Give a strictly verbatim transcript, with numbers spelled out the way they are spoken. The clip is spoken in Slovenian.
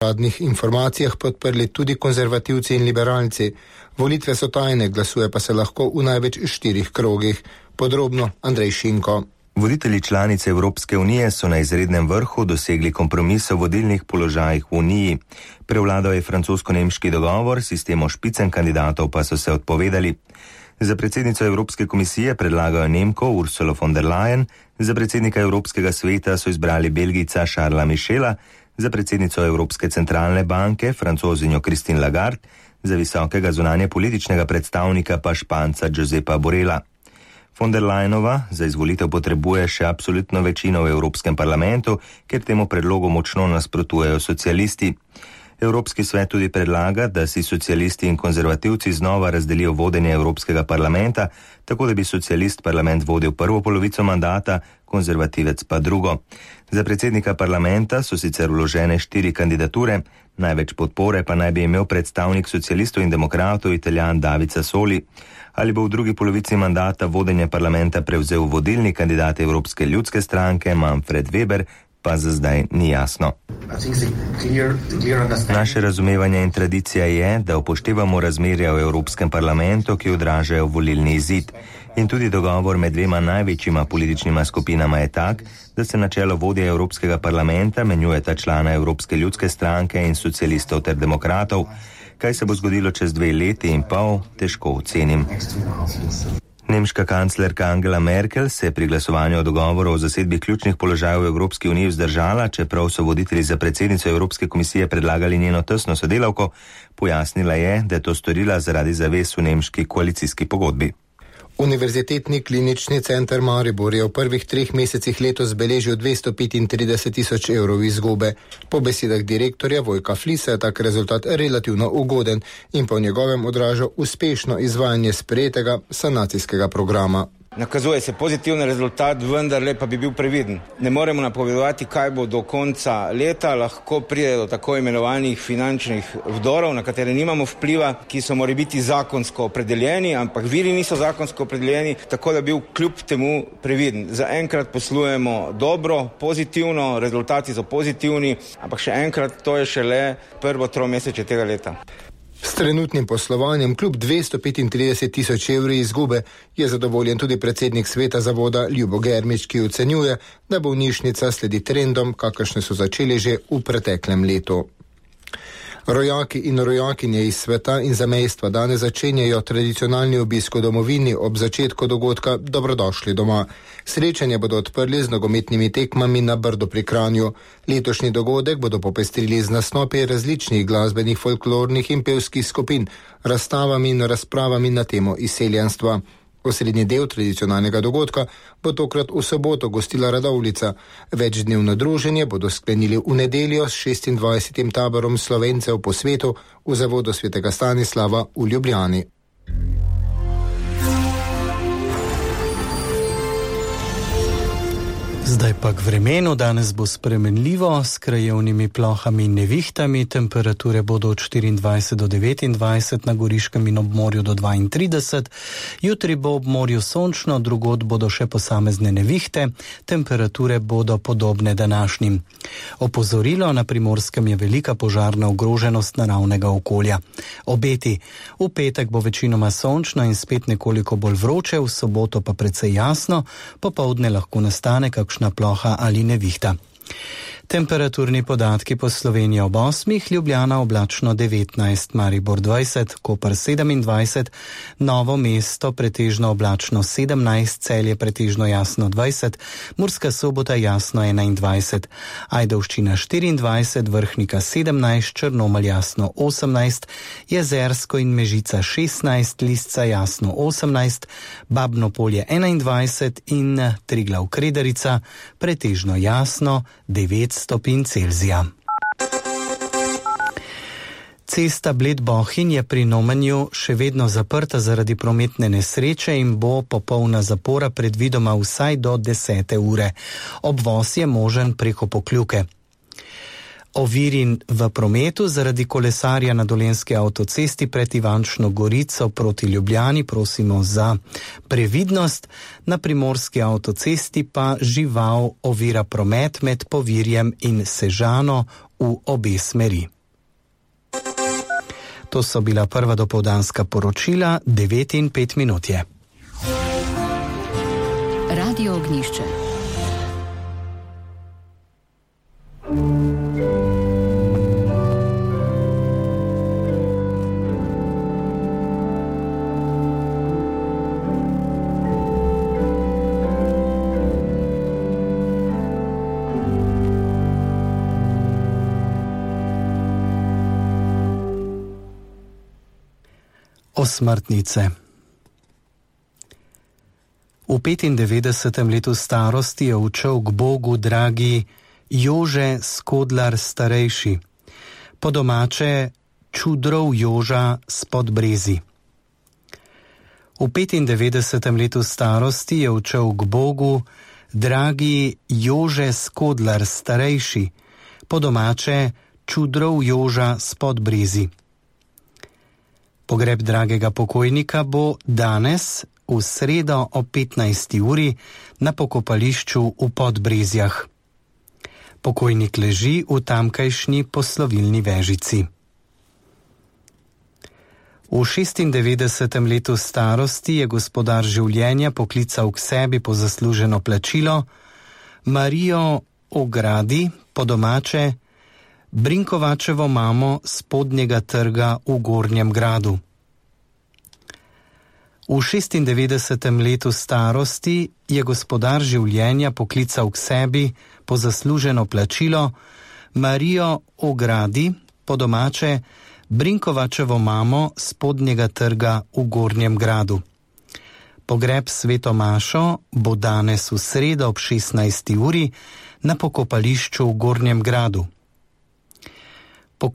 uradnih informacijah podprli tudi konzervativci in liberalci. Volitve so tajne, glasuje pa se lahko v največ štirih krogih. Podrobno Andrej Šinko. Voditelji članice Evropske unije so na izrednem vrhu dosegli kompromis o vodilnih položajih v uniji. Prevladal je francosko-nemški dogovor, sistemu špicen kandidatov pa so se odpovedali. Za predsednico Evropske komisije predlagajo Nemko Ursulo von der Leyen, za predsednika Evropskega sveta so izbrali Belgijca Charlesa Michela, za predsednico Evropske centralne banke Francozinjo Christine Lagarde, za visokega zunanje političnega predstavnika pa Španca Josepa Borrella. Von der Leyenova za izvolitev potrebuje še absolutno večino v Evropskem parlamentu, ker temu predlogu močno nasprotujejo socialisti. Evropski svet tudi predlaga, da si socialisti in konzervativci znova razdelijo vodenje Evropskega parlamenta, tako da bi socialist parlament vodil prvo polovico mandata, konzervativec pa drugo. Za predsednika parlamenta so sicer vložene štiri kandidature, največ podpore pa naj bi imel predstavnik socialistov in demokratov Italijan David Sassoli. Ali bo v drugi polovici mandata vodenje parlamenta prevzel vodilni kandidat Evropske ljudske stranke Manfred Weber, pa za zdaj ni jasno. Naše razumevanje in tradicija je, da upoštevamo razmerja v Evropskem parlamentu, ki odražajo volilni izid. In tudi dogovor med dvema največjima političnima skupinama je tak, da se na čelo vodje Evropskega parlamenta menjujeta člana Evropske ljudske stranke in socialistov ter demokratov. Kaj se bo zgodilo čez dve leti in pol, težko ocenim. Nemška kanclerka Angela Merkel se je pri glasovanju o dogovoru o zasedbi ključnih položajev v Evropski uniji vzdržala, čeprav so voditelji za predsednico Evropske komisije predlagali njeno tesno sodelavko, pojasnila je, da je to storila zaradi zavez v nemški koalicijski pogodbi. Univerzitetni klinični center Maribor je v prvih treh mesecih letos beležil dvesto petintrideset tisoč evrov izgube. Po besedah direktorja Vojka Flisa je tak rezultat relativno ugoden in po njegovem odraža uspešno izvajanje sprejetega sanacijskega programa. Nakazuje se pozitiven rezultat, vendar le pa bi bil previden. Ne moremo napovedovati, kaj bo do konca leta, lahko pride do tako imenovanih finančnih vdorov, na katere nimamo vpliva, ki so morali biti zakonsko opredeljeni, ampak viri niso zakonsko opredeljeni, tako da bi bil kljub temu previden. Zaenkrat poslujemo dobro, pozitivno, rezultati so pozitivni, ampak še enkrat, to je šele prvo tromesečje tega leta. S trenutnim poslovanjem kljub dvesto petintrideset tisoč evri izgube je zadovoljen tudi predsednik sveta zavoda Ljubo Germič, ki ocenjuje, da bolnišnica sledi trendom, kakršne so začeli že v preteklem letu. Rojaki in rojakinje iz sveta in zamejstva danes začenjajo tradicionalni obisk v domovini ob začetku dogodka Dobrodošli doma. Srečanje bodo odprli z nogometnimi tekmami na Brdu pri Kranju. Letošnji dogodek bodo popestrili z nastopi različnih glasbenih, folklornih in pevskih skupin, razstavami in razpravami na temo izseljenstva. Osrednji del tradicionalnega dogodka bo tokrat v soboto gostila Radovljica. Večdnevno druženje bodo sklenili v nedeljo s šestindvajsetim taborom Slovencev po svetu v zavodu svetega Stanislava v Ljubljani. Zdaj pa k vremenu. Danes bo spremenljivo s krajevnimi plohami in nevihtami. Temperature bodo od štiriindvajset do devetindvajset, na Goriškem in ob morju do dvaintrideset. Jutri bo ob morju sončno, drugod bodo še posamezne nevihte. Temperature bodo podobne današnjim. Opozorilo: na Primorskem je velika požarna ogroženost naravnega okolja. Obeti: v petek bo večinoma sončno in spet nekoliko bolj vroče, v soboto pa precej jasno, popoldne lahko nastane kakšna ploha ali nevihta. Temperaturni podatki po Sloveniji ob osmih: Ljubljana oblačno devetnajst, Maribor dvajset, Koper sedemindvajset, Novo mesto pretežno oblačno sedemnajst, Celje pretežno jasno dvajset, Murska Sobota jasno enaindvajset, Ajdovščina štiriindvajset, Vrhnika sedemnajst, Črnomelj jasno osemnajst, Jezersko in Mežica šestnajst, Lisca jasno osemnajst, Babno Polje enaindvajset in Triglav Kredarica pretežno jasno devet stopinj Celzija. Cesta Bled-Bohinj je pri Nomenju še vedno zaprta zaradi prometne nesreče in bo popolna zapora predvidoma vsaj do desete ure. Obvoz je možen preko Pokljuke. Oviri v prometu zaradi kolesarja na Dolenjski avtocesti pred Ivančno Gorico proti Ljubljani, prosimo za previdnost. Na Primorski avtocesti pa žival ovira promet med Povirjem in Sežano v obe smeri. To so bila prva dopoldanska poročila, devet in pet minut je. Radio Ognjišče. Osmrtnice. V petindevetdesetem letu starosti je odšel k Bogu dragi Jože Skodlar starejši, po domače Čudrov Joža s Podbrezi. V petindevetdesetem letu starosti je odšel k Bogu dragi Jože Skodlar starejši, po domače Čudrov Joža s Podbrezi. Pogreb dragega pokojnika bo danes v sredo o petnajsti uri na pokopališču v Podbrezjah. Pokojnik leži v tamkajšnji poslovilni vežici. V šestindevetdesetem letu starosti je gospodar življenja poklical k sebi po zasluženo plačilo Marijo Ogradi, po domače Brinkovačevo mamo Spodnjega trga v Gornjem gradu. V šestindevetdesetem letu starosti je gospodar življenja poklical k sebi po zasluženo plačilo Marijo Ogradi, po domače Brinkovačevo mamo Spodnjega trga v Gornjem gradu. Pogreb sveto mašo bo danes v sredo ob šestnajsti uri na pokopališču v Gornjem gradu.